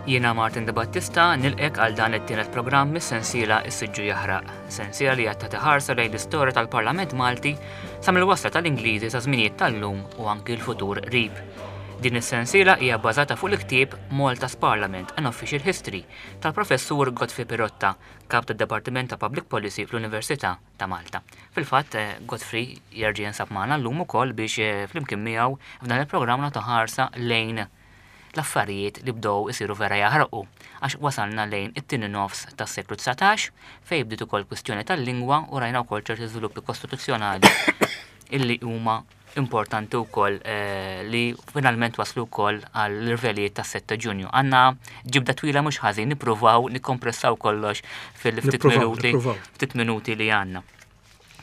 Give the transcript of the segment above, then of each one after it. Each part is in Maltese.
Jiena Martin De Battista nilqek għal dan it-tielet programm mis-sensiela Is-Siġġu Jaħraq, sensiela li qed tagħti ħarsa lejn l-istorja tal-Parlament Malti sa mill-wasla tal-Ingliżi sa żminijiet tal-lum u anki l-futur qrib. Din is-sensiela hija bbażata fuq il-ktieb Malta's Parliament, An Official History tal-Professur Godfrey Pirotta, Kap tad-Dipartiment ta' Public Policy fl-Università ta' Malta. Fil-fatt, eh, Godfrey jerġa' jinsab magħna llum ukoll biex eh, flimkien miegħu f'dan il-programm nagħtu ħarsa lejn l-affarijiet li bdew isiru vera jaħrqu għax wasalna lejn it-tieni nofs tas-seklu 19 fejn bdiet ukoll kwistjoni tal-lingwa u rajna wkoll ċerti żviluppi kostituzzjonali illi huma importanti wkoll eh, li finalment waslu wkoll għall irvelijiet tas-7 ta' Ġunju. Għandna ġibda twila mhux ħażin nippruvaw nikkompressaw kollox fil-ftit minuti ftit minuti li għandna.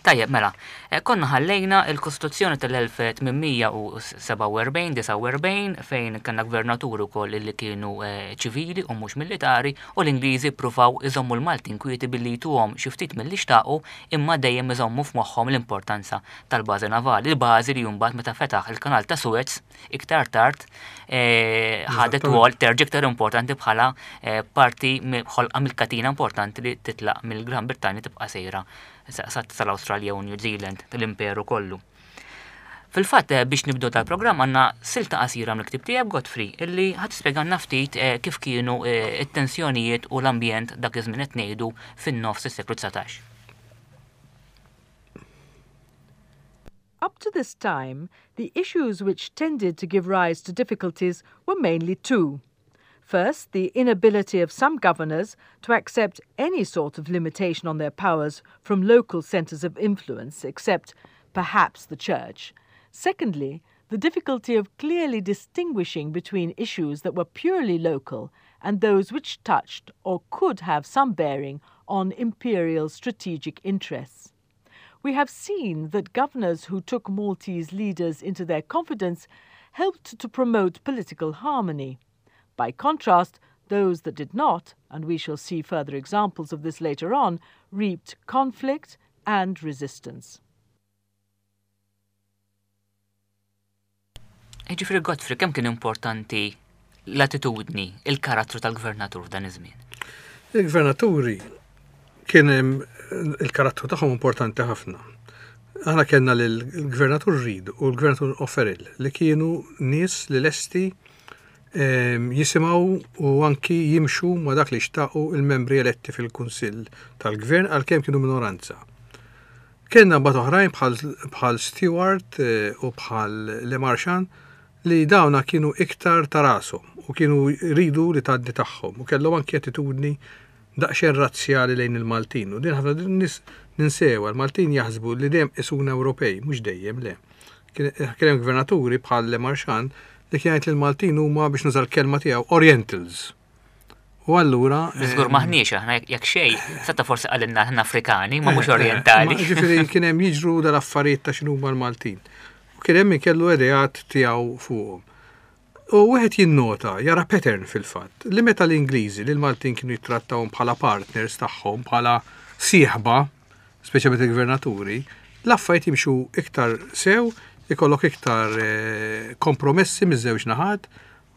Tajjeb, mela, eh, konna ħallejna il-Kostituzzjoni tal-1847-49 fejn kellna gvernaturi wkoll li kienu eh, ċivili u mhux militari u l-Ingliżi ppruvaw iżommu l-Maltin kwieti billi jtuhom xi ftit milli xtaqu imma dejjem iżommu f'moħħhom l-importanza tal-bażi navali, il-bażi li mbagħad meta fetaħ il-kanal ta' Suez iktar tard eh, ħadet wol terġa' iktar importanti bħala eh, parti ħolqa mill-katina importanti li titlaq mill-Gran Brittanja tibqa' sejra sal-Awstralja u New Zealand tal-imperu kollu. Fil-fatt eh, biex nibdu tal-programm għandna silta qasira mill-ktib tiegħek Godfrey illi ħadd tispjegalna ftit kif kienu it-tensjonijiet u l-ambjent dak iż-żmien qed ngħidu fin-nofs is-seklu 19. Up to this time, the issues which tended to give rise to difficulties were mainly two. First, the inability of some governors to accept any sort of limitation on their powers from local centres of influence, except perhaps the church. Secondly, the difficulty of clearly distinguishing between issues that were purely local and those which touched or could have some bearing on imperial strategic interests. We have seen that governors who took Maltese leaders into their confidence helped to promote political harmony. By contrast, those that did not, and we shall see further examples of this later on, reaped conflict and resistance. Jiġifieri Godfrey, kemm kien importanti l-attitudni, il-karattru tal-gvernatur f'dan iż-żmien? Il-gvernaturi kien il-karattru tagħhom importanti ħafna. Aħna kellna l-gvernatur Reid u l-gvernatur O'Farrell li kienu nies li lesti ehm, jisimgħu u anki jimxu ma dak li xtaqu il-membri eletti fil-Kunsill tal-Gvern għalkemm kienu minoranza. Kellna mbagħad oħrajn bħal Stewart eh, u bħal Le Marchand li dawna kienu iktar ta' rashom u kienu jridu li tgħaddi tagħhom u kellhom anki attitudni daqsxejn razzjali lejn il-Maltin u din ħafna nies ninsewha, il-Maltin jaħsbu li dejjem qisuna Ewropej, mhux dejjem le. Kien hemm gvernaturi bħal Le Marchand li kien jgħid li l-Maltin huma biex nuża l-kelma tiegħu Orientals. U allura. Żgur maħniex aħna jekk xejn, seta forsi qalilna aħna Afrikani, ma mhux eh, eh, Orientali. Ġifieri kien hemm jiġru dal-affarijiet ta' x'inhuma l-Maltin. U kien hemm min kellu ideat tiegħu fuqhom. U wieħed jinnota, jara pattern fil-fatt, li meta l-Ingliżi li l-Maltin kienu jittrattawhom bħala partners tagħhom, bħala sieħba, speċjalment il-gvernaturi, l-affarijiet jimxu iktar sew, ikollok iktar eh, kompromessi miż-żewġ naħat,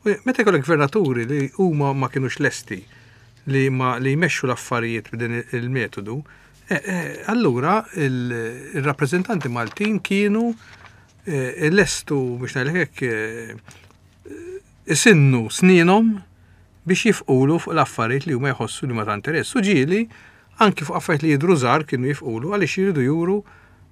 Meta jkollok gvernaturi li huma ma kinux lesti li ma li jmexxu l-affarijiet b'din il-metodu, eh, eh, allura il-rappreżentanti Maltin kienu eh, lestu biex ngħidlek hekk isinnu snienhom biex jifqulu fuq l-affarijiet li huma jħossu li ma ta' interess. U ġieli anki fuq affarijiet li jidhru żgħar kienu jifqulu għaliex jridu juru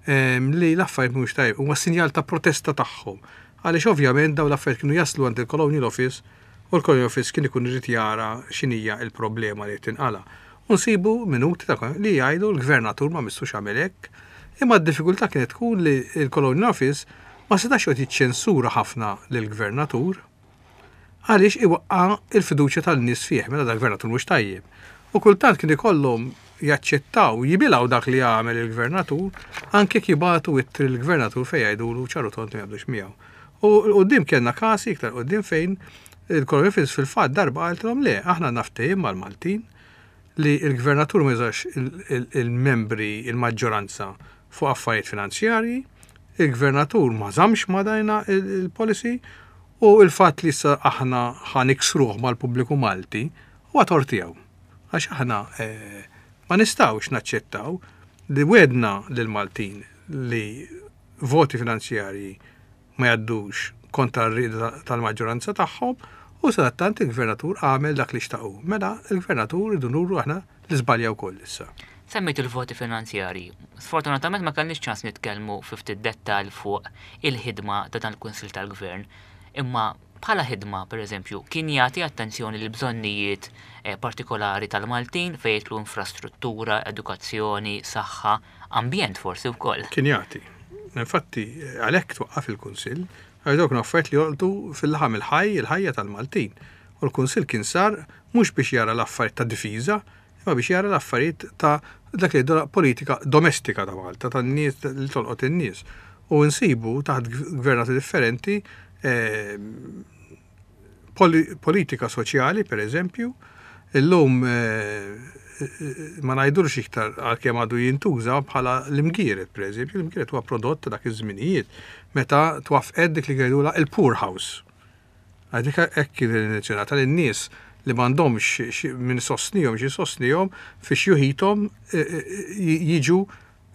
ehm, li l-affarijiet mhux tajb, huma sinjal ta' protesta tagħhom. Għaliex ovvjament dawn l-affarijiet kienu jaslu għand il-Colonial Office u l-Colonial Office kien ikun irid jara x'inhija l-problema li qed tinqala'. U nsibu minuti ta' li jgħidu l-gvernatur ma missux għamel hekk. Imma d-diffikultà kienet tkun li l-Colonial Office ma setax joqgħod jiċċensura ħafna lill-gvernatur għaliex iwaqqa' l-fiduċja tan-nies fih, mela dal-gvernatur mhux tajjeb. U kultant kien ikollhom jaċċettaw, jibilgħu dak li għamel il-gvernatur, anke jekk jibagħtu ittri lill-gvernatur fejn jgħidulu ċar u tond li ma jaqblux miegħu. U 'l quddiem kellna każi iktar 'l quddiem fejn il-Colonial Office fil-fatt darba qaltilhom le, aħna għandna ftehim mal-Maltin li l-gvernatur ma jużax il-membri, il-maġġoranza fuq affarijiet finanzjarji, il-gvernatur ma żammx ma' dajna il-policy. U l-fatt li issa aħna ħa niksruh mal-pubbliku Malti huwa tort tiegħu. Għax aħna eh, ma nistgħux naċċettaw li wedna lill-Maltin li voti finanzjarji ma jgħaddux kontra r-rieda tal-maġġoranza tagħhom u sadattant il-gvernatur għamel dak li xtaqu. Mela il-gvernatur irridu nuru aħna li żbalja wkoll issa. Semmejt il-voti finanzjarji. Sfortunatament ma kellniex ċans nitkellmu fi ftit dettall fuq il-ħidma ta' dan il-Kunsill tal-Gvern. Imma bħala ħidma, per eżempju, kien jagħti attenzjoni lil bżonnijiet eh, partikolari tal-Maltin fejn jidħlu infrastruttura, edukazzjoni, saħħa, ambjent forsi wkoll. Kien jagħti. Infatti, għalhekk twaqqaf il-Kunsill, għax dawk kienu affarijiet li jolqtu fil-laħam il-ħaj il-ħajja tal-Maltin. U l-Kunsill kien sar mhux biex jara l-affarijiet ta' difiża, imma biex jara l-affarijiet ta' dak li jgħidulha politika domestika ta' Malta, tan-nies li tolqot in-nies. U nsibu taħt gvernati differenti eh, politika soċjali, per eżempju, illum eh, ma ngħidulx iktar għalkemm għadu jintuża bħala l-imgieret, per eżempju, l-imgieret huwa prodott ta' dak iż-żminijiet meta twaffqet dik li jgħidulha il-poor house. Għadik hekk kien intenzjonata li n-nies li m'għandhomx min isostnihom xi jsostnihom fi xjuħithom eh, eh, jiġu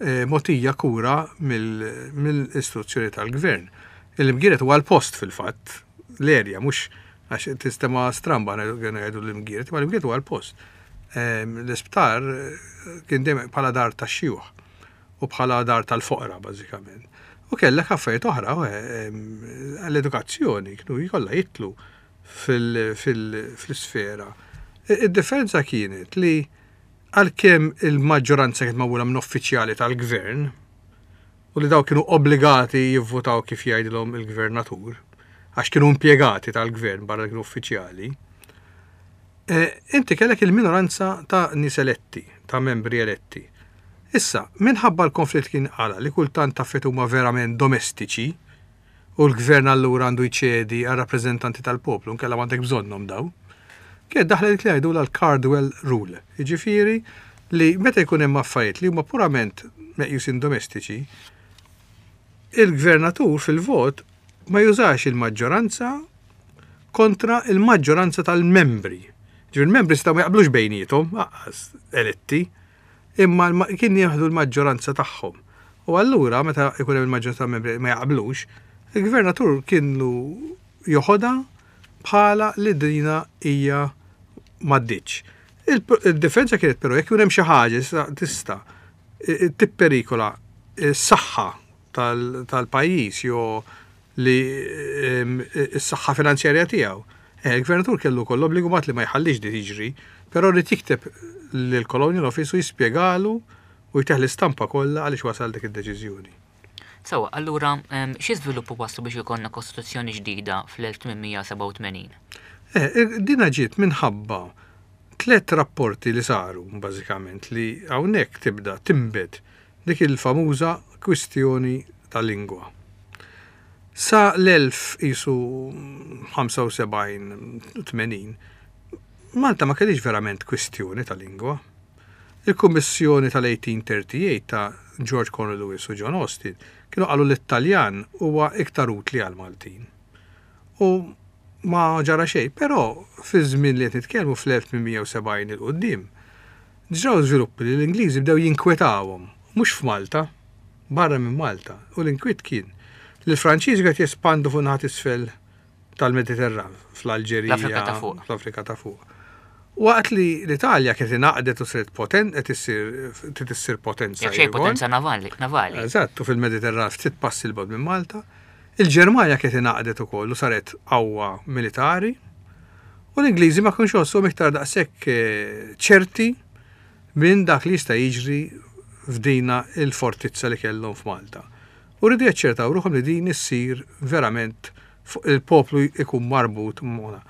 mogħtija kura mill-istituzzjoni tal-gvern. Il-Imgieret huwa l-post fil-fatt, l-erja, mhux għax tistema stramba ngħidu l-Imgieret, imma l-Imgieret huwa l-post. Ehm, l-isptar eh, kien dejjem bħala dar tax-xjuħ u bħala dar tal-foqra bażikament. U kellek affarijiet oħra, ehm, l-edukazzjoni kienu jkollha jitlu fil-sfera. Id-differenza kienet li Għalkemm il-maġġoranza kienet magħmula minn uffiċjali tal-gvern u li dawk kienu obbligati jivvutaw kif jgħidilhom il-gvernatur, għax kienu impjegati tal-gvern barra li kienu uffiċjali, eh, inti kellek il-minoranza ta' nies eletti, ta' membri eletti. Issa, minħabba l-konflitt kien qala li kultant taffet huma verament domestiċi, u l-gvern allura għandu jċedi għar-rappreżentanti tal-poplu, inkella m'għandek bżonnhom dawn. Kienet daħlet dik li jgħidulha l-Cardwell Rule, jiġifieri li meta jkun hemm affarijiet li huma purament meqjusin domestiċi, il-gvernatur fil-vot ma jużax il-maġġoranza kontra il-maġġoranza tal-membri. Ġifieri il-membri setgħu ma jaqblux bejniethom, aqqas eletti, imma kien jieħdu l-maġġoranza tagħhom. U allura meta jkun hemm il-maġġoranza tal-membri ma jaqblux, il-gvernatur kienu joħodha bħala li dina hija m'għaddietx. Il-differenza kienet però jekk ikun hemm xi ħaġa tista' tipperikola s-saħħa tal-pajjiż jew li s-saħħa finanzjarja tiegħu. Eh, il-gvernatur kellu wkoll obbligu mat li ma jħallix di tiġri, però rrid jikteb lill-Colonial Office u jispjegalu u jteħ l-istampa kollha għaliex wasal dik id-deċiżjoni. Sewwa, allura xi żviluppu waslu biex ikollna Kostituzzjoni ġdida fl-1887? Eh, dina ġiet minħabba tlett rapporti li saru bażikament li hawnhekk tibda tinbet dik il-famuża kwistjoni ta' lingwa. Sa l-1000 qisu 75, 80, Malta ma kellhiex verament kwistjoni ta' lingwa. Il-Kummissjoni tal-1838 ta' George Cornel Lewis u John Austin kienu qalu li t-Taljan huwa iktar utli għall-Maltin. U ma ġara xejn, però fiż-żmien li qed nitkellmu fl-1870 'il quddiem, Ġraw żviluppi li l-Ingliżi bdew jinkwetawhom, mhux f'Malta, barra minn Malta, u l-inkwiet kien li l-Franċiżi qed jespandu fuq naħa t'isfel tal-Mediterran, fl-Alġerija, fl-Afrika ta' fuq. Waqt li l-Italja kienet ingħaqdet u saret potent, qed issir trid issir potenza. Jekk xejn potenza navali, navali. Eżatt, u fil-Mediterran ftit passi 'l bogħod minn Malta. Il-Ġermanja kienet ingħaqdet ukoll u saret qawwa militari. U l-Ingliżi ma kienux iħossuhom iktar daqshekk ċerti minn dak li jista' jiġri f'dina il-fortizza li kellhom f'Malta. U riedu jaċċertaw ruħhom li din issir verament il-poplu jkun marbut magħha.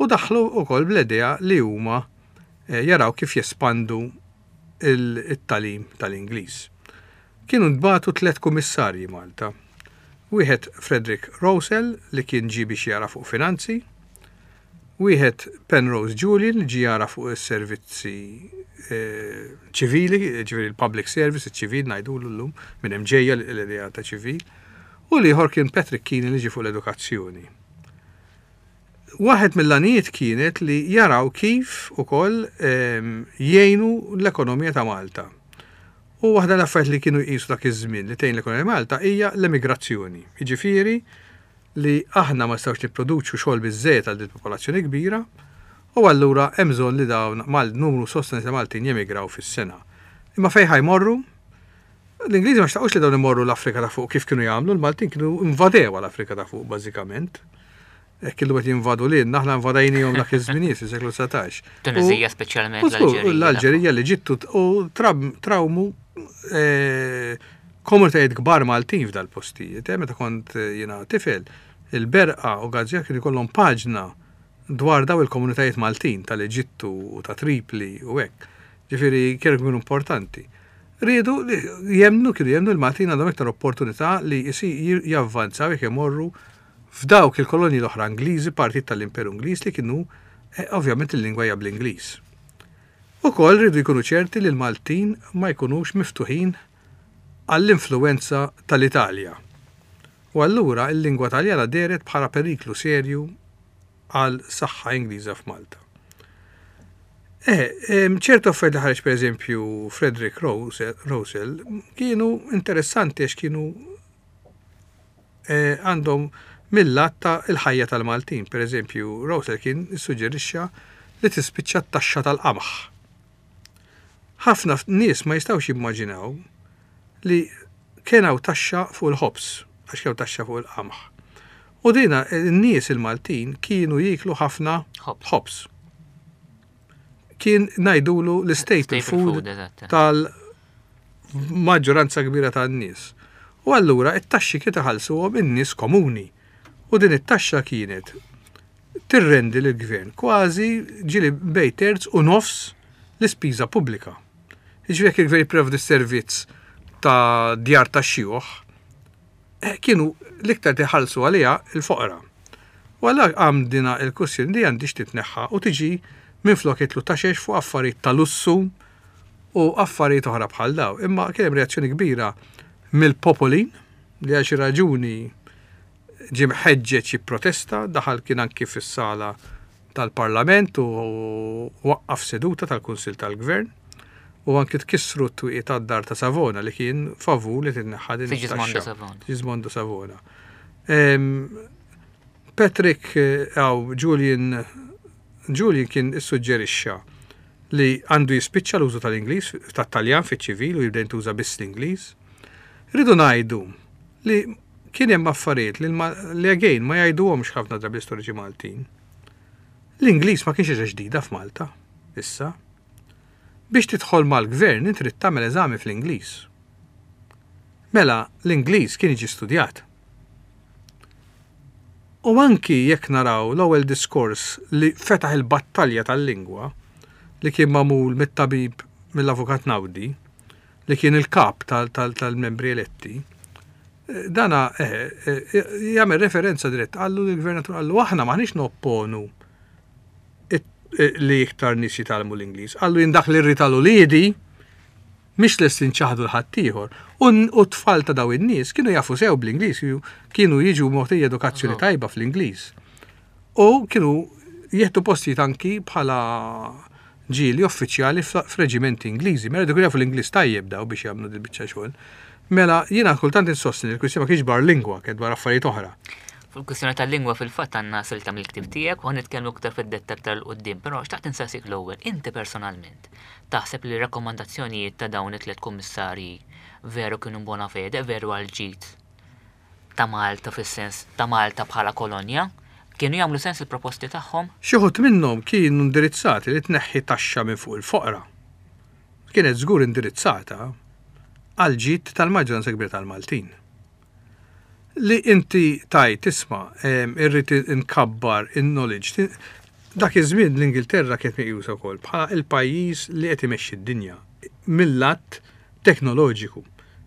U daħlu wkoll bl-idea li huma jaraw kif jespandu it-tagħlim tal-Ingliż. Kienu ntbagħtu tlett kummissarji Malta. Wieħed Frederick Rowsell li kien ġie biex jara fuq finanzi, wieħed Penrose Julian li ġie jara fuq is-servizzi ċivili, ġifieri l-public service, iċ-ċivil ngħidulu llum, minn hemm ġejja l-idea ta' ċivil, u l-ieħor kien Patrick Keenan li ġie fuq l-edukazzjoni. Waħed mill-għanijiet kienet li jaraw kif ukoll jgħinu l-ekonomija ta' Malta. U waħda l-affarijiet li kienu jqisu dak iż-żmien li tgħin l-ekonomija Malta hija l-emigrazzjoni. Jiġifieri li aħna ma nistgħux nipproduċu xogħol biżżejjed għal din popolazzjoni kbira u allura hemm bżonn li dawn mal numru sostanzjali ta' Maltin jemigraw fis-sena. Imma fejn ħa jmorru? L-Ingliżi ma xtaqux li dawn imorru l-Afrika ta' fuq kif kienu jagħmlu, l-Maltin kienu invadew l-Afrika ta' fuq bażikament. Hekk illum qed jinvadu lilna, aħna invadajnihom dak iż-żminijiet fis-seklu 19. Tunizija speċjalment l-Alġerija. L-Alġerija, l-Eġittu u trawmu eh, komunitajiet kbar Maltin f'dal-postijiet. Eh, meta kont eh, jiena tifel, il-Berqa u Gazzja kienu jkollhom paġna dwar daw il-komunitajiet Maltin tal-Eġittu u ta' Tripli u hekk. Ġifieri kienu kienu importanti. Riedu jemnu kienu jemnu l-Maltin għandhom iktar opportunità li javvanzaw jekk imorru f'dawk il-kolonji l-oħra Ingliżi, partijiet tal-Imperu Ingliż li kienu ovvjament il-lingwa hija bl-Ingliż. Ukoll riedu jkunu ċerti li l-Maltin ma jkunux miftuħin għall-influwenza tal-Italja. U allura l-lingwa Taljana dehret bħala periklu serju għal saħħa Ingliża f'Malta. Eh, ċertu affarijiet li ħareġ pereżempju Frederick Russell kienu interessanti għax kienu eh, għandhom mill-lat ta' il-ħajja tal-Maltin. Per eżempju, Russell kien issuġġerixxa li tispiċċa t-taxxa tal-qamħ. Ħafna nies ma jistgħux jimmaġinaw li kien hawn taxxa fuq il-ħobż, għax kien taxxa fuq il-qamħ. U dina n-nies il-Maltin kienu jieklu ħafna ħobż. Kien ngħidulu l-staple food tal maġġoranza kbira tan-nies. U allura it-taxxi kien iħallsuhom in-nies komuni. U din it-taxxa kienet tirrendi lill-gvern kważi ġieli bejn terz u nofs l-ispiża pubblika. Jiġifieri jekk il-gvern jipprovdi servizz ta' djar tax-xjuħ, eh, kienu l-iktar tiħallsu għaliha il-foqra. U għalla għam dina il-kwestjoni li għandix titneħħa u tiġi minflok jitlu taxex fuq affarijiet ta' lussu u affarijiet oħra bħal daw. Imma kien hemm reazzjoni kbira mill-popolin li għal xi raġuni ġie mħeġġeġ jipprotesta, daħal kien anki fis-sala tal-Parlament u waqqaf seduta tal-Kunsill tal-Gvern u anki tkissru t-twieqi tad-dar ta' Savona li kien favur li titneħħa din it-taxxa. Savona. Sigismondo Savona. Patrick għaw Julian Julian kien issuġġerixxa li għandu jispiċċa l-użu tal-Ingliż, tat-Taljan fiċ-ċivil u jibda jintuża biss l-Ingliż. Rridu ngħidu li kien hemm affarijiet li, li again ma jgħiduhomx ħafna drabi l-istoriċi Maltin. L-Ingliż ma kienx ħaġa ġdida f'Malta, issa. Biex tidħol mal-gvern inti trid tagħmel eżami fl-Ingliż. Mela l-Ingliż kien jiġi studjat. U anki jekk naraw l-ewwel diskors li fetaħ il-battalja tal-lingwa, li kien magħmul mit-tabib mill-Avukat Naudi, li kien il-kap tal-membri eletti, dana eh, eh, jagħmel referenza dirett qallu lill-gvernatur qallu aħna maħniex nopponu li iktar nies jitgħallmu l-Ingliż. Qallu jien dak li rrid għal uliedi Mhix lest inċaħħdu 'l ħaddieħor. U t-tfal ta' dawn in-nies kienu jafu sew bl-Ingliż, kienu jiġu mogħtija edukazzjoni tajba fl-Ingliż. U kienu jieħdu postijiet anki bħala ġieli uffiċjali f'reġimenti Ingliżi. Mela kienu jafu l-Ingliż tajjeb daw biex jagħmlu dil-biċċa xogħol. Mela jiena kultant insostni li l-kwistjoni ma kienx dwar lingwa, kienet dwar affarijiet oħra. Fuq il-kwistjoni tal-lingwa fil-fatt għandna silta mill-ktieb tiegħek u ħa nitkellmu iktar fid-dettall aktar 'il quddiem, però xtaqt insaqsik l-ewwel, inti personalment, Taħseb li r-rakkomandazzjonijiet ta' dawn it-tlett kummissarji veru kienu in bona fede, veru għall-ġid ta' Malta fis-sens ta' Malta bħala kolonja? Kienu jagħmlu sens il-proposti tagħhom? Xi wħud minnhom kienu indirizzati li tneħħi taxxa minn fuq il-foqra. Kienet żgur indirizzata għall-ġid tal-maġġoranza kbira tal-Maltin. Li inti tgħid isma' irrid inkabbar in-knowledge. Dak iż-żmien l-Ingilterra kienet meqjusa wkoll bħala l-pajjiż li qed imexxi d-dinja mill-lat teknoloġiku.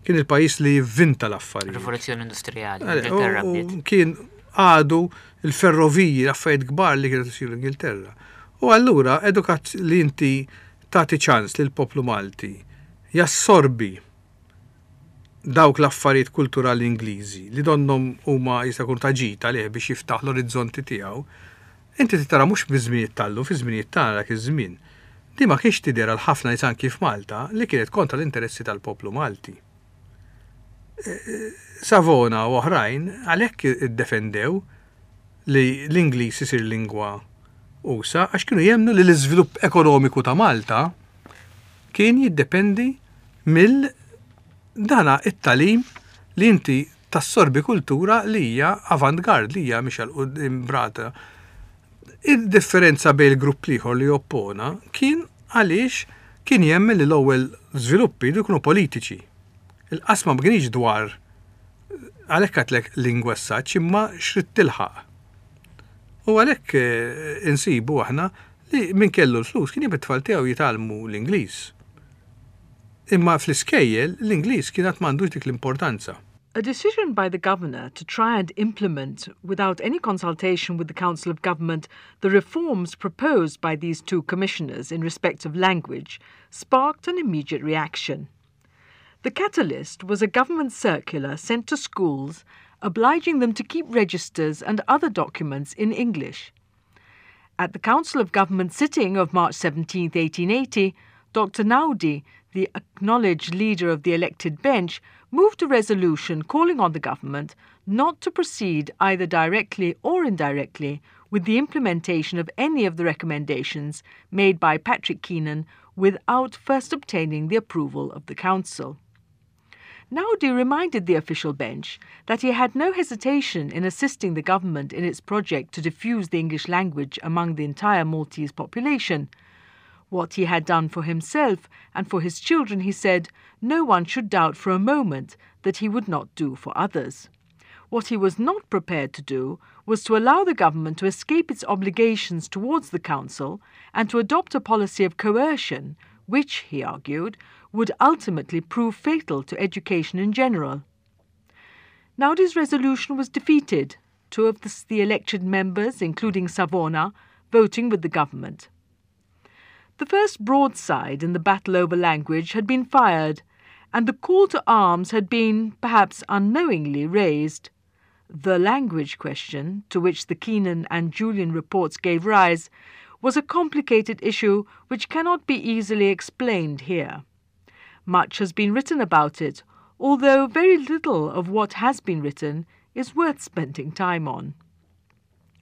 Kien il-pajjiż li jivvinta l-affarijiet. Rivoluzzjoni Industrijali, l-Ingilterra bdiet. Kien għadu l-ferroviji, l-affarijiet kbar li kienu isiru l-Ingilterra. U allura edukat li inti tagħti ċans lill-poplu Malti jassorbi dawk l-affarijiet kulturali Ingliżi li donnhom huma jista' jkunu ta' ġid għalih biex jiftaħ l-orizzonti tiegħu. Inti trid tara mhux biż-żminijiet tal-lum, fiż-żminijiet tagħna dak iż-żmien. Din ma kienx tidher għal ħafna nies anki f'Malta li kienet kontra l-interessi tal-poplu Malti. Savona u oħrajn għalhekk iddefendew li l-Ingliż isir lingwa usa' għax kienu jemmnu li l-iżvilupp ekonomiku ta' Malta kien jiddependi mill dana it-tagħlim li inti tassorbi kultura li hija avant-garde, li hija mixja 'l quddiem brata. Id-differenza bejn il-grupp l-ieħor li oppona kien għaliex kien jemmen li l-ewwel żviluppi jridu jkunu politiċi. Il-qasma ma kienx dwar għalhekk għedtlek lingwa s-saġġ imma x'rid tilħaq. U għalhekk eh, insibu aħna li min kellu l-flus kien jibgħat tfal tiegħu jitgħallmu l-Ingliż. Imma fl-iskejjel l-Ingliż kien għad m'għandux dik l-importanza. A decision by the governor to try and implement, without any consultation with the Council of Government, the reforms proposed by these two commissioners in respect of language sparked an immediate reaction. The catalyst was a government circular sent to schools obliging them to keep registers and other documents in English. At the Council of Government sitting of March 17, 1880, Dr. Naudi, the acknowledged leader of the elected bench, moved a resolution calling on the government not to proceed either directly or indirectly with the implementation of any of the recommendations made by Patrick Keenan without first obtaining the approval of the council. Naudi reminded the official bench that he had no hesitation in assisting the government in its project to diffuse the English language among the entire Maltese population. What he had done for himself and for his children, he said, no one should doubt for a moment that he would not do for others. What he was not prepared to do was to allow the government to escape its obligations towards the council and to adopt a policy of coercion, which, he argued, would ultimately prove fatal to education in general. Naudi's resolution was defeated, two of the, the elected members, including Savona, voting with the government. The first broadside in the battle over language had been fired, and the call to arms had been, perhaps unknowingly, raised. The language question, to which the Keenan and Julian reports gave rise, was a complicated issue which cannot be easily explained here. Much has been written about it, although very little of what has been written is worth spending time on.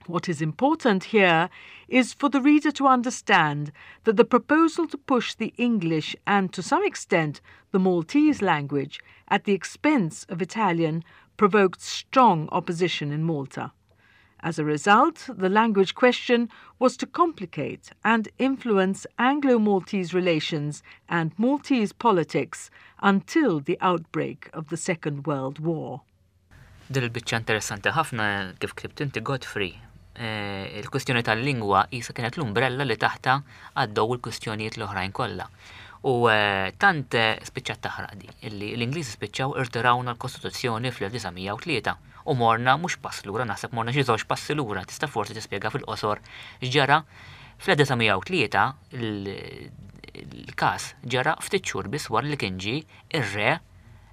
What is important here is for the reader to understand that the proposal to push the English and, to some extent, the Maltese language at the expense of Italian provoked strong opposition in Malta. As a result, the language question was to complicate and influence Anglo-Maltese relations and Maltese politics until the outbreak of the Second World War. Din il-biċċa interessanti ħafna kif ktibt inti Godfrey. Eh, il-kwistjoni tal-lingwa qisha kienet l-umbrella li taħta għaddew il-kwistjonijiet l-oħrajn kollha. U eh, tant eh, spiċċat taħraq di, illi l-Ingliżi spiċċaw irtirawna l-Kostituzzjoni fl-1903 u morna mhux pass lura, naħseb morna xi żewġ passi lura, tista' forsi tispjega fil-qosor x'ġara fl-1903 il-każ ġara ftit xhur biss wara li kien ġie ir-re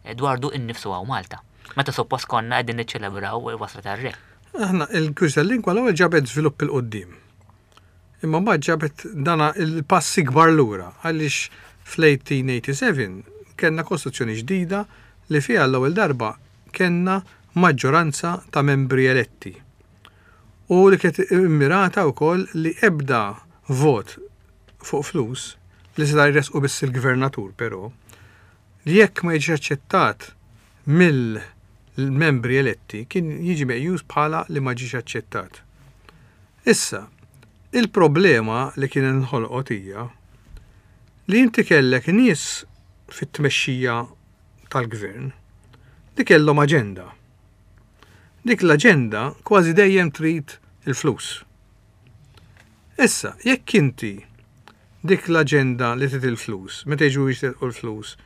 Edwardu innifsu hawn Malta. Meta suppost konna qegħdin niċċelebraw il-wasla tar-re. Aħna il-kwistjoni tal-lingwa l-ewwel ġabet żvilupp 'il quddiem. Imma mbagħad ġabet dana il-pass ikbar lura għaliex fl-1887 kellna kostituzzjoni ġdida li fiha l-ewwel darba kellna maġġoranza ta' membri eletti u li kienet immirata wkoll li ebda vot fuq flus li seta' jressqu biss il-gvernatur però li jekk ma jiġix aċċettat mill-membri eletti kien jiġi meqjus bħala li ma ġiex aċċettat. Issa, il-problema li kien inħolqot hija li inti kellek nies fit-tmexxija tal-gvern li kellhom aġenda. Dik l-aġenda kważi dejjem trid il-flus. Issa, jekk inti dik l-aġenda li trid il-flus, meta jiġu biex jiterqu l-flus,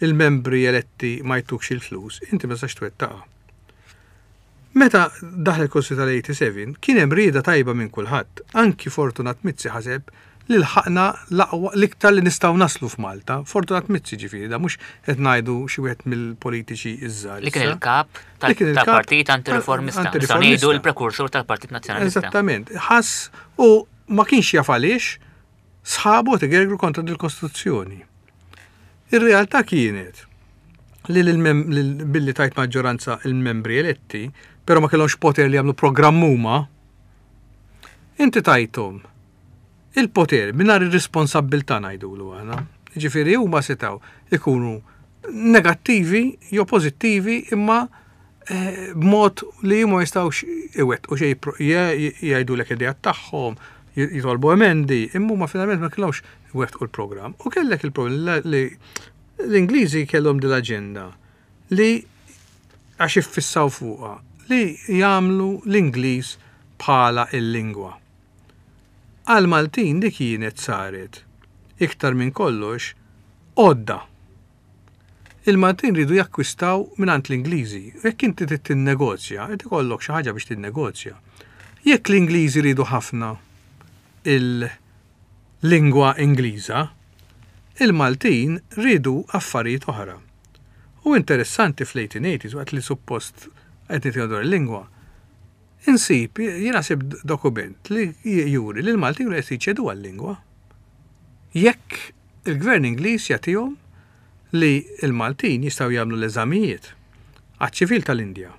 il-membri eletti ma jtukx il-flus, inti ma tistax twettaqha. Meta daħlet il-Kostituzzjoni tal-87, kien hemm rieda tajba minn kulħadd. Anki Fortunat Mizzi ħaseb li lħaqna l-aqwa l-iktar li nistgħu naslu f'Malta. Fortunat Mizzi ġifieri da mhux qed ngħidu xi wieħed mill-politiċi iż-żgħar. Li kien il-kap tal-Partit Antireformista. Nistgħu ngħidu l-prekursur tal-Partit Nazzjonalista. Eżattament. Ħass u ma kienx jaf għaliex sħabu qed igergru kontra dil-Kostituzzjoni. Ir-realtà kienet li billi tajt maġġoranza il-membri eletti, però ma kellhomx poter li jagħmlu programm huma, inti tajthom il-poter mingħajr ir-responsabbiltà ngħidulu aħna. Ġifieri huma setgħu ikunu negattivi jew pożittivi imma eh, b'mod li huma jistgħux iwettqu xejn jgħidulek ideat tagħhom, jitolbu emendi, imma huma finalment ma kellhomx iwettqu l-programm. U kellek il-problem li l-Ingliżi kellhom din l-aġenda li għax iffissaw fuqha li jagħmlu l-Ingliż bħala il-lingwa. Għal-Maltin li kienet saret iktar minn kollox għodda. Il-Maltin riedu jakkwistaw mingħand l-Ingliżi. Jekk inti trid tinnegozja, irid ikollok xi ħaġa biex tinnegozja. Jekk l-Ingliżi riedu ħafna il-lingwa Ingliża, il-Maltin riedu affarijiet oħra. U interessanti fl-1880s, waqt li suppost qed nitkellmu dwar il-lingwa, insib, jiena sibt dokument li juri li l-Maltin kienu qed jiċedu għal-lingwa. Jekk il-Gvern Ingliż jagħtihom li l-Maltin jistgħu jagħmlu l-eżamijiet għaċ-ċivil tal-Indja,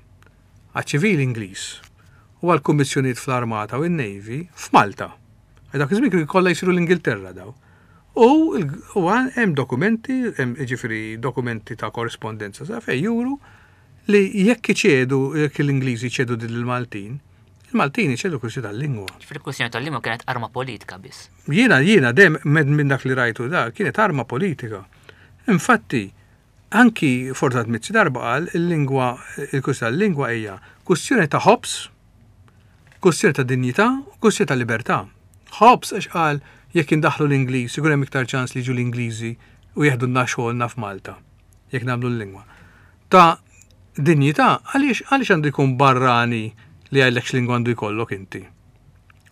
għaċ-ċivil Ingliż u għall-kummissjonijiet fl-Armata u n-Navy f'Malta. Għal dak iż-żmien kienu kollha jsiru l-Ingilterra daw. U u hemm dokumenti, hemm jiġifieri dokumenti ta' korrispondenza sa fejn juru li jekk iċedu, jekk l-Ingliżi jċedu din lill-Maltin, il-Maltin iċedu l-kwistjoni tal-lingwa. Ġifieri l-kwistjoni tal-lingwa kienet arma politika biss. Jiena, jiena dejjem minn dak li rajtu da, kienet arma politika. Infatti, anki Fortunat Mizzi darba qal il-lingwa, il-kwistjoni tal-lingwa hija kwistjoni ta' ħobż, kwistjoni ta' dinjità u kwistjoni ta' libertà. Ħobż għax qal jekk indaħħlu l-Ingliż ikun hemm iktar ċans li jiġu l-Ingliżi u jeħdulna xogħolna f'Malta jekk nagħmlu l-lingwa. Ta' dinjità għaliex għaliex għandu jkun barrani li jgħidlek x'lingwa għandu jkollok inti.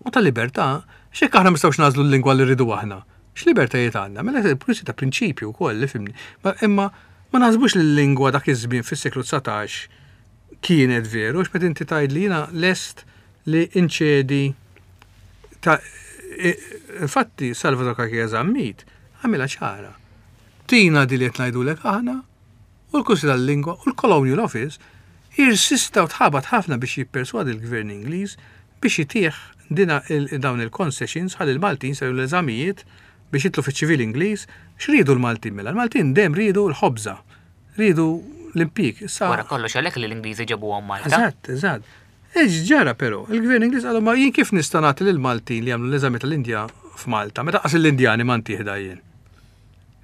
U ta' libertà, x'jekk aħna ma nistgħux nagħżlu l-lingwa li rridu aħna? X'libertajiet għandna? Mela kwistjoni ta' prinċipju wkoll li fimni. Imma ma naħsbux li l-lingwa dak iż-żmien fis-seklu 19 kienet veru, għax meta inti tgħid li jiena lest li inċedi ta' infatti Salvador Cachia Zammit għamilha ċara. Tina di li qed ngħidulek aħna u l-Kunsill tal-Lingwa u l-Colonial Office irsista u tħabat ħafna biex jipperswadi l-Gvern Ingliż biex itih dina dawn il-concessions ħalli l-Maltin jsiru l-eżamijiet biex jidħlu fiċ-ċivil Ingliż. X'riedu l-Maltin mela? L-Maltin dejjem riedu l-ħobża, riedu l-impjieg. Issa Wara kollox għalhekk li l-Ingliżi ġabuhom Malta. Eżatt, eżatt. X'ġara però? Il-Gvern Ingliż qalhom ma jien kif nista' nagħti lill-Maltin li jagħmlu l-eżami tal-Indja f'Malta meta qas l-Indjani ma ntih jien.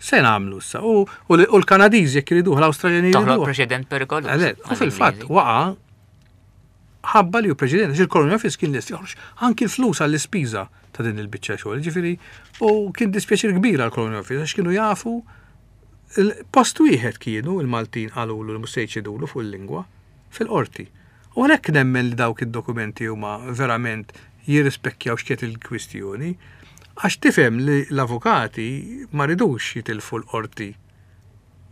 Se nagħmlu issa? U, u l-Kanadiżi jekk iriduh, l-Awstraljani jriduh. Toħloq preċedent perikoluż. U fil-fatt waqa' ħabba li hu preċedent, għax il-Colonial Office kien lest joħroġ anki l-flus għall-ispiża ta' din il-biċċa xogħol. Ġifieri, u kien dispjaċir kbir għall-Colonial Office għax kienu jafu post wieħed kienu il-Maltin qalulu li mhux se jċedulu fuq il-lingwa fil-qorti. U għalhekk nemmen li dawk id-dokumenti huma verament jirrispekkjaw x'kienet il-kwistjoni, għax tifhem li l-avukati ma ridux jitilfu l-qorti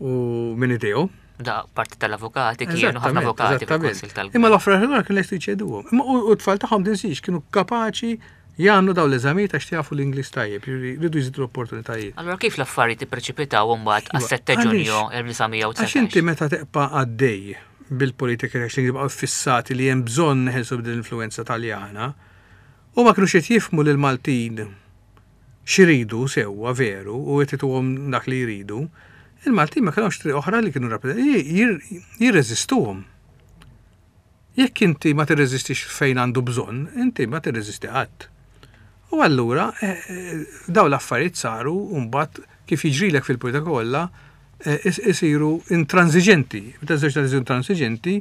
u minn idejhom. Da parti tal-avukati kienu ħafna avukati fil-Kunsill tal Imma l-oħra ħlura kienu lesti jċeduhom. Imma u t-tfal tagħhom tinsiex kienu kapaċi jagħmlu dawn l-eżamijiet għax jafu l-Ingliż tajjeb, rridu jżidu l-opportunitajiet. Allura kif l-affarijiet ippreċipitaw imbagħad għas-7 Ġunju 1919? Għax inti meta teqpa' għaddej bil-politika għax li baqgħu fissati li hemm bżonn neħelsu b'din l-influenza Taljana, u ma kinux qed jifhmu lil Maltin x'iridu sewwa veru u qed ituhom dak li jridu, il-Maltin ma kellhomx triq oħra li kienu jirreżistuhom. Jekk inti ma tirreżistix fejn għandu bżonn, inti ma tirreżisti qatt. U allura eh, eh, daw l-affarijiet saru mbagħad kif jiġrilek fil-politika kollha eh, isiru intransiġenti. Meta żewġ isiru intransiġenti,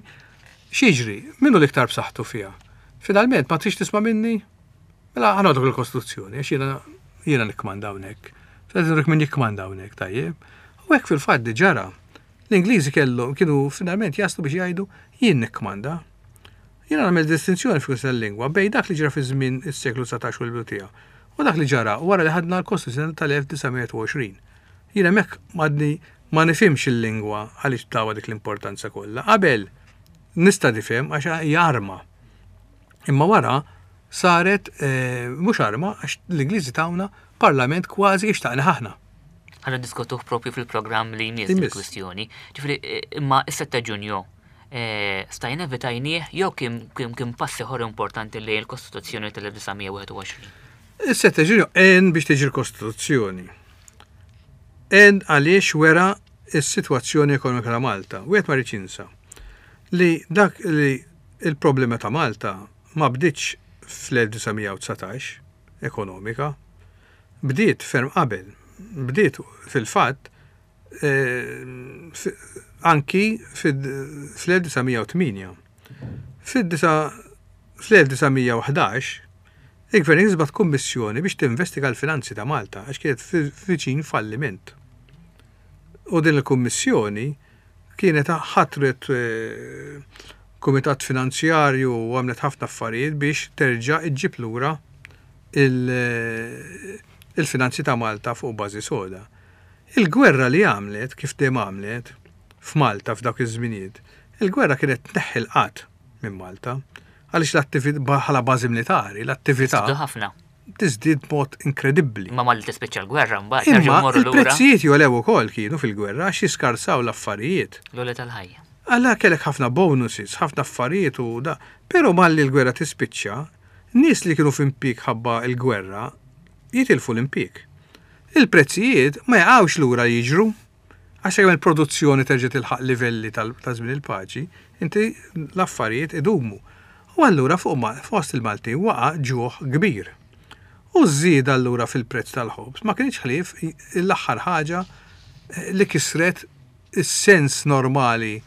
x'jiġri? Minnu l-iktar b'saħħtu fiha? Finalment ma trix tisma' minni? Mela ħanodok il-Kostituzzjoni, għax jiena jiena nikkmanda hawnhekk. Fil min jikkmanda hawnhekk, tajjeb. U hekk fil-fatt ġara. L-Ingliżi kellhom kienu finalment jaslu biex jgħidu jien nikkmanda. Jiena nagħmel distinzjoni fil tal-lingwa bejn dak li ġara fi żmien is-seklu 19 u l-bidu tiegħu. U dak li ġara wara li ħadna l-Kostituzzjoni tal-1920. Jien hemmhekk m'għadni ma nifhimx il-lingwa għaliex tawha dik l-importanza kollha. Qabel nista' nifhem għax hija arma. Imma wara saret eh, mhux arma għax l-Ingliżi tawna parlament kważi xtaqna aħna. Ħa niddiskutuh propju fil-programm li jmiss il-kwistjoni. Ġifieri eh, imma is-7 Ġunju eh, stajna evitajnieh jew kien pass ieħor importanti li l-Kostituzzjoni tal-1921. Is-7 Ġunju għen biex tiġi l-Kostituzzjoni. Għen għaliex wera s-sitwazzjoni ekonomika ta' Malta. Wieħed ma jridx jinsa li dak li il-problema ta' Malta ma bdietx fl-1919 ekonomika, bdiet ferm qabel. Bdiet fil-fatt eh, anki fl-1908. Fl-1911 il-Gvern Ingliż bagħat kummissjoni biex tinvestiga l-finanzi ta' Malta għax kienet viċin falliment. U din il-kummissjoni kienet ħatret eh, kumitat finanzjarju u għamlet ħafna affarijiet biex terġa' iġġib lura eh, il-finanzi ta' Malta fuq bażi soda. Il-gwerra li għamlet, kif dejjem għamlet, f'Malta f'dawk iż-żminijiet, il-gwerra kienet tneħħi l-qgħad minn Malta. Għaliex l-attività bħala bażi militari, l-attività. Tiżdied ħafna. Tiżdied b'mod inkredibbli. Imma malli tispiċċa l-gwerra mbagħad nerġgħu mmorru lura. Il-prezzijiet jogħlew ukoll kienu fil-gwerra għax jiskarsaw l-affarijiet. L-għoli tal-ħajja. Alla kellek ħafna bonuses, ħafna affarijiet u da. Però malli l-gwerra tispiċċa, nies li kienu f'impjieg ħabba l-gwerra jitilfu l-impjieg. Il-prezzijiet ma jaqgħux lura jiġru. Għax sakemm il-produzzjoni terġa' tilħaq livelli ta' żmien il-paċi, inti l-affarijiet idumu. U allura fuq fost il-Maltin waqa' ġuħ kbir. U ż-żieda allura fil-prezz tal-ħobż ma kinitx ħlief l-aħħar ħaġa li kisret is-sens normali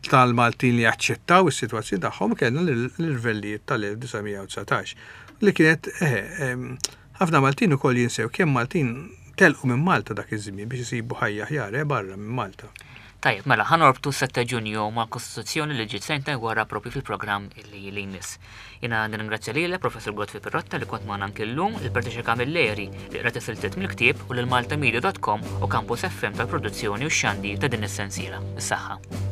tal-Maltin li jaċċettaw is-sitwazzjoni tagħhom kellna l-irvellijiet tal-1919 li kienet eh, ħafna Maltin ukoll jinsew kemm Maltin telqu minn Malta dak iż-żmien biex isibu ħajja aħjar eh, barra minn Malta. Tajjeb, mela ħa norbtu 7 Ġunju mal-Kostituzzjoni li ġiet sentejn wara propju fil-programm li li jmiss. Jiena nirringrazzja lilek, Professur Godfrey Pirotta li kont magħna anki llum, lil Patricia Camilleri li qrat is-siltiet mill-ktieb u lil maltamedia.com u Campus FM tal-produzzjoni u x-xandir ta' din is-sensiela. Is-saħħa.